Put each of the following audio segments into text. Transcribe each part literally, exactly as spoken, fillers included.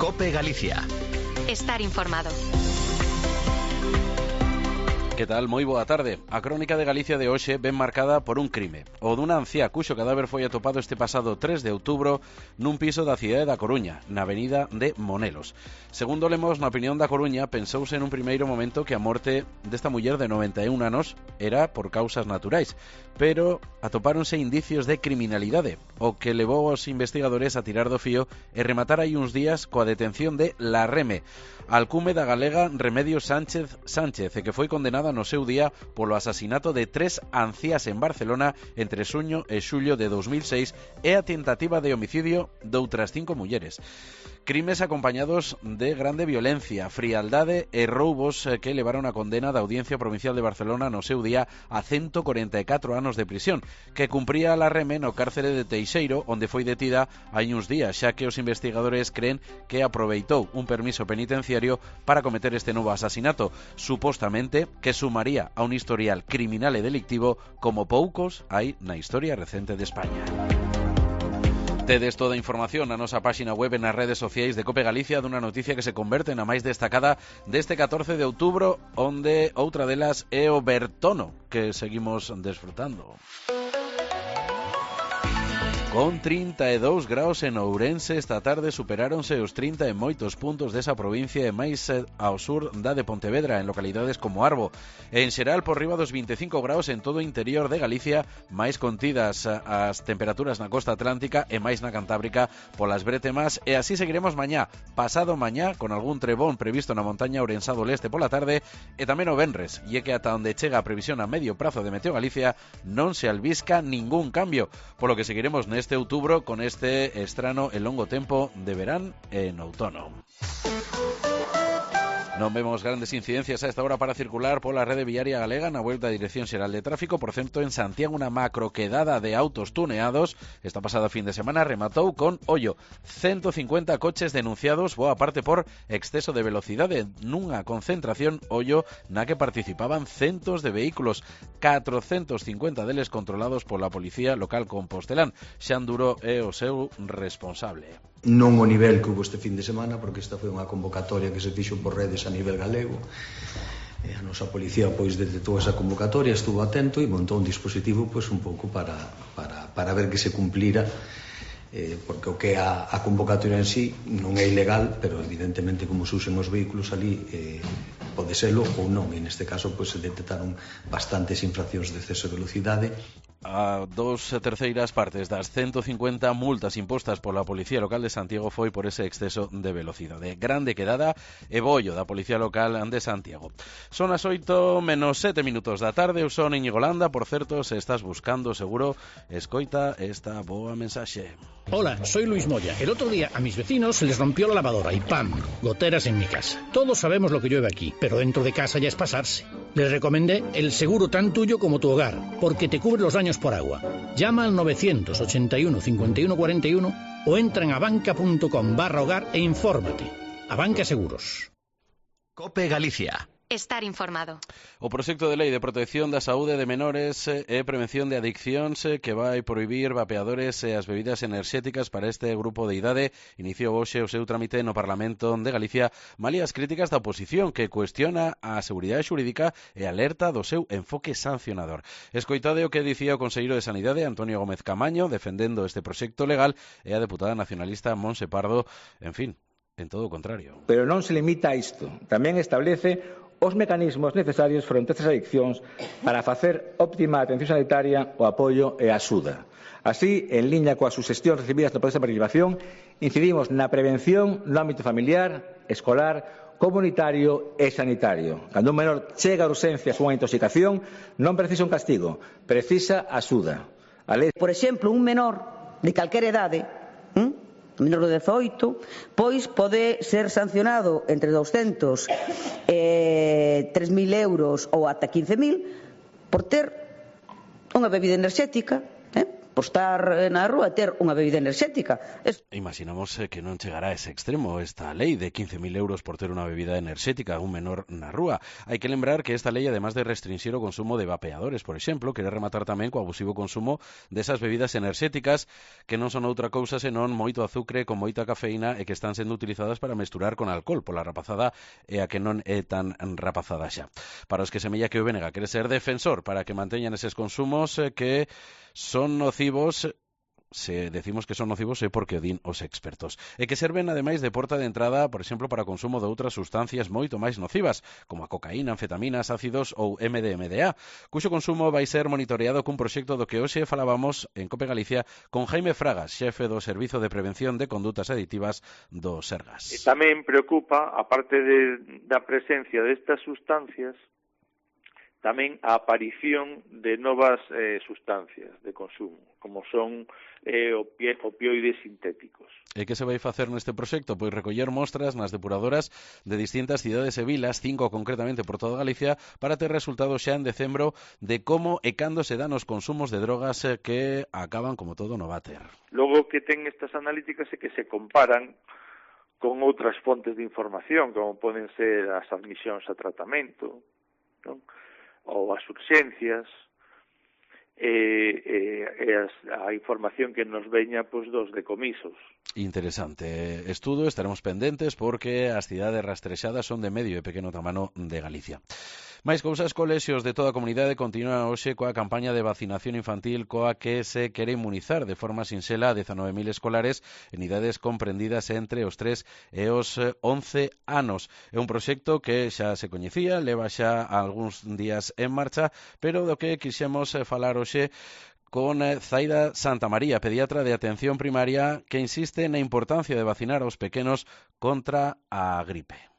COPE Galicia. Estar informado. Que tal? Moi boa tarde. A crónica de Galicia de hoxe ven marcada por un crime, o dunha anciá cuxo cadáver foi atopado este pasado tres de outubro nun piso da cidade da Coruña, na avenida de Monelos. Segundo lemos, na opinión da Coruña, pensouse en un primeiro momento que a morte desta muller de noventa e un anos era por causas naturais, pero atopáronse indicios de criminalidade, o que levou aos investigadores a tirar do fío e rematar aí uns días coa detención de La Reme, alcume da galega Remedios Sánchez Sánchez, e que foi condenada no seu día polo asasinato de tres anciás en Barcelona entre xuño e xullo de dos mil seis e a tentativa de homicidio doutras cinco mulleres. Crimes acompañados de grande violencia, frialdade e roubos que levaron a condena da Audiencia Provincial de Barcelona no seu día a ciento cuarenta e catro anos de prisión, que cumpría La Reme no cárcere de Teixeiro, onde foi detida hai uns días, xa que os investigadores creen que aproveitou un permiso penitenciario para cometer este novo asasinato, supostamente que sumaría a un historial criminal e delictivo como poucos hai na historia recente de España. Tedes toda a información na nosa páxina web e nas redes sociais de COPE Galicia dunha noticia que se converte na máis destacada deste catorce de outubro, onde outra delas é o Bertono, que seguimos desfrutando. Con trinta e dous graus en Ourense, esta tarde superáronse os trinta en moitos puntos desa provincia e máis ao sur da de Pontevedra, en localidades como Arbo. En xeral, por riba dos vinte e cinco graus en todo o interior de Galicia, máis contidas as temperaturas na costa atlántica e máis na Cantábrica polas bretemas, e así seguiremos mañá, pasado mañá, con algún trebón previsto na montaña ourensá do leste pola tarde, e tamén o venres, e é que ata onde chega a previsión a medio prazo de Meteo Galicia non se albisca ningún cambio, polo que seguiremos neste este outubro con este estrano e longo tempo de verán en outono. Non vemos grandes incidencias a esta hora para circular pola rede viaria galega na volta a Dirección Xeral de Tráfico. Por certo, en Santiago unha macroquedada de autos tuneados esta pasada fin de semana rematou con, ollo, ciento cincuenta coches denunciados, boa parte por exceso de velocidade, nunha concentración, ollo, na que participaban centos de vehículos, catrocentos cincuenta deles controlados pola Policía Local Compostelán. Xan Duro é o seu responsable. Non o nivel que hubo este fin de semana, porque esta foi unha convocatoria que se fixo por redes a nivel galego. E a nosa policía pois detectou esa convocatoria, estuvo atento e montou un dispositivo pois un pouco para, para, para ver que se cumplira, eh, porque o que a, a convocatoria en sí non é ilegal, pero evidentemente como se usen os vehículos ali eh, pode serlo ou non, e neste caso pois se detectaron bastantes infraccións de exceso de velocidade. A dos terceiras partes das ciento cincuenta multas impostas pola Policía Local de Santiago foi por ese exceso de velocidade. Grande quedada e bollo da Policía Local de Santiago. Son as oito menos sete minutos da tarde. Eu son Íñigo Landa. Por certo, se estás buscando seguro, escoita esta boa mensaxe. Hola, soy Luis Moya. El otro día a mis vecinos se les rompió la lavadora y ¡pam! Goteras en mi casa. Todos sabemos lo que llueve aquí, pero dentro de casa ya es pasarse. Les recomendé el seguro tan tuyo como tu hogar, porque te cubre los daños por agua. Llama al novecientos ochenta y uno cincuenta y uno cuarenta y uno o entra en abanca.com barra hogar e infórmate. Abanca Seguros. COPE Galicia. Estar informado. O proxecto de lei de protección da saúde de menores e prevención de adiccións que vai prohibir vapeadores e as bebidas enerxéticas para este grupo de idade iniciou hoxe o seu trámite no Parlamento de Galicia, malia as críticas da oposición que cuestiona a seguridade xurídica e alerta do seu enfoque sancionador. Escoitade o que dicía o conselleiro de Sanidade, Antonio Gómez Camaño, defendendo este proxecto legal, e a deputada nacionalista Montse Pardo, en fin, en todo o contrario. Pero non se limita a isto, tamén establece os mecanismos necesarios fronte a estas adiccións para facer óptima atención sanitaria, o apoio e a axuda. Así, en liña coas suxestións recibidas no proceso de participación, incidimos na prevención no ámbito familiar, escolar, comunitario e sanitario. Cando un menor chega a urxencias unha intoxicación, non precisa un castigo, precisa axuda. A lei... Por exemplo, un menor de calquera idade, ¿eh? menor de dezoito, pois pode ser sancionado entre douscentos e tres mil euros ou ata quince mil por ter unha bebida enerxética, eh? por estar na rúa e ter unha bebida enerxética. Es... Imaginamos eh, que non chegará a ese extremo esta lei de quince mil euros por ter unha bebida enerxética a un menor na rúa. Hai que lembrar que esta lei, además de restringir o consumo de vapeadores, por exemplo, quere rematar tamén co abusivo consumo desas bebidas enerxéticas que non son outra cousa senón moito azucre con moita cafeína e que están sendo utilizadas para mesturar con alcohol pola rapazada e a que non é tan rapazada xa. Para os que semella que o B N G quere ser defensor para que manteñan eses consumos eh, que son nocivos. Se decimos que son nocivos é porque o din os expertos. E que serven, ademais, de porta de entrada, por exemplo, para o consumo de outras sustancias moito máis nocivas, como a cocaína, anfetaminas, ácidos ou M D M D A, cuxo consumo vai ser monitoreado cun proxecto do que hoxe falábamos en Cope Galicia con Jaime Fragas, xefe do Servizo de Prevención de Condutas Aditivas do Sergas. E tamén preocupa, aparte de, da presencia destas sustancias, tamén a aparición de novas eh, sustancias de consumo, como son eh, opioides sintéticos. E que se vai facer neste proxecto? Pois recoller mostras nas depuradoras de distintas cidades e vilas, cinco concretamente por toda Galicia, para ter resultados xa en decembro de como e cando se dan os consumos de drogas eh, que acaban como todo no váter. Logo que ten estas analíticas é que se comparan con outras fontes de información, como poden ser as admisións a tratamento, non? Ou as urxencias, e, e, e as, a información que nos veña pois, dos decomisos. Interesante estudo, estaremos pendentes porque as cidades rastrexadas son de medio e pequeno tamano de Galicia. Máis cousas, colexios de toda a comunidade continúa hoxe coa campaña de vacinación infantil coa que se quere inmunizar de forma sinxela a dezanove mil escolares en idades comprendidas entre os tres e os once anos. É un proxecto que xa se coñecía, leva xa algúns días en marcha, pero do que quixemos falar hoxe con Zaida Santamaría, pediatra de atención primaria, que insiste na importancia de vacinar aos pequenos contra a gripe.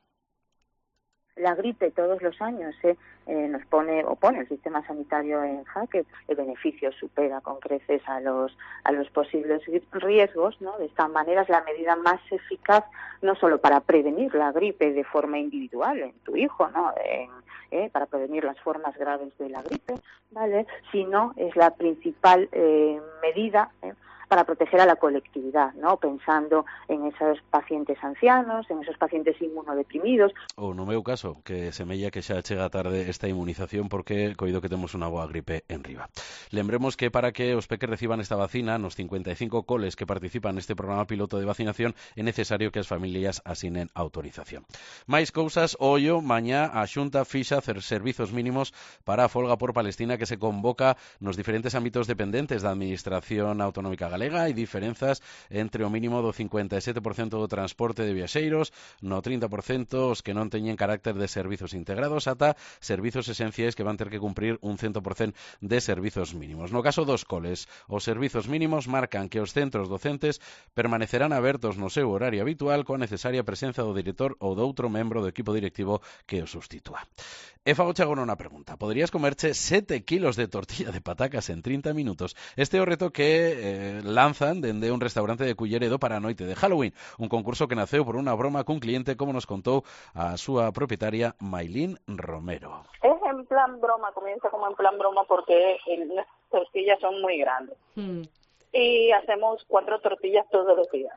La gripe todos los años eh, eh, nos pone o pone el sistema sanitario en jaque. El beneficio supera con creces a los a los posibles riesgos, ¿no? De esta manera es la medida más eficaz no solo para prevenir la gripe de forma individual en tu hijo, ¿no? En, eh, para prevenir las formas graves de la gripe, ¿vale? Sino es la principal eh, medida eh, para proteger a la colectividad, ¿no? Pensando en esos pacientes ancianos, en esos pacientes inmunodeprimidos. Ou no meu caso, que semella que xa chega tarde esta inmunización porque coido que temos unha boa gripe en riba. Lembremos que para que os peques reciban esta vacina, nos cincuenta e cinco coles que participan neste programa piloto de vacinación, é necesario que as familias asinen autorización. Mais cousas, ollo, mañá a Xunta fixa cer servizos mínimos para a folga por Palestina que se convoca nos diferentes ámbitos dependentes da Administración Autonómica Galega. Hai diferenzas entre o mínimo do cincuenta e sete por cento do transporte de viaxeiros, no trinta por cento os que non teñen carácter de servizos integrados, ata servizos esenciais que van ter que cumprir un cento por cento de servizos mínimos. No caso dos coles, os servizos mínimos marcan que os centros docentes permanecerán abertos no seu horario habitual coa necesaria presenza do director ou doutro membro do equipo directivo que o sustitúa. E fago agora unha pregunta. Poderías comerche sete kilos de tortilla de patacas en trinta minutos? Este é o reto que eh, lanzan dende un restaurante de Culleredo para a noite de Halloween, un concurso que naceu por unha broma cun cliente, como nos contou a súa propietaria Maylin Romero. Es en plan broma, comienza como en plan broma porque las tortillas son muy grandes. Mm. Y hacemos cuatro tortillas todos los días.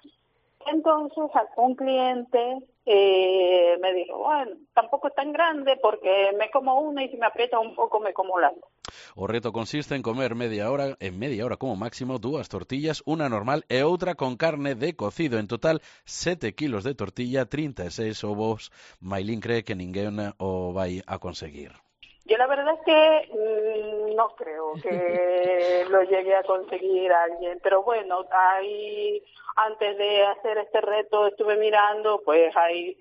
Entonces, un cliente eh, me dijo, bueno, tampoco es tan grande porque me como una y si me aprieta un poco me como las dos. O reto consiste en comer media hora, en media hora como máximo, dúas tortillas, una normal e outra con carne de cocido. En total, sete kilos de tortilla, trinta e seis ovos. Maylin cree que ninguén o vai a conseguir. Yo la verdad es que mmm, no creo que lo llegue a conseguir alguien, pero bueno, ahí antes de hacer este reto estuve mirando, pues hay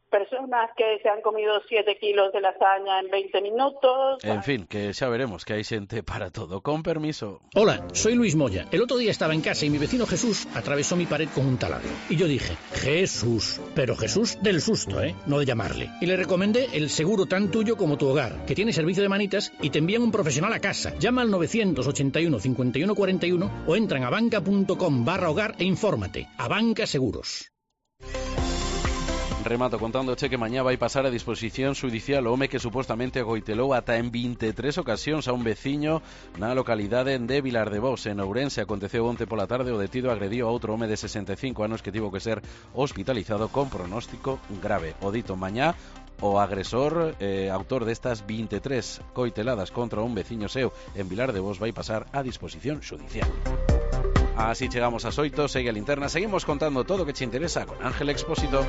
personas que se han comido siete kilos de lasaña en veinte minutos. En fin, que xa veremos que hai xente para todo. Con permiso. Hola, soy Luis Moya. El otro día estaba en casa y mi vecino Jesús atravesó mi pared con un taladro. Y yo dije, Jesús, pero Jesús del susto, ¿eh? No de llamarle. Y le recomendé el seguro tan tuyo como tu hogar, que tiene servicio de manitas y te envían un profesional a casa. Llama al novecientos ochenta y uno cincuenta y uno cuarenta y uno o entra en abanca punto com barra hogar e infórmate. Abanca Seguros. Remato contándoche que mañá vai pasar a disposición xudicial o home que supuestamente agoitelou ata en vinte e tres ocasións a un veciño na localidade de Vilar de Bous, en Ourense. Aconteceu onte pola tarde, o detido agrediu a outro home de sesenta e cinco anos que tivo que ser hospitalizado con pronóstico grave. O dito mañá, o agresor, eh, autor destas vinte e tres coiteladas contra un veciño seu en Vilar de Bous, vai pasar a disposición xudicial. Así chegamos ás oito, segue a linterna, seguimos contando todo o que che interesa con Ángel Expósito.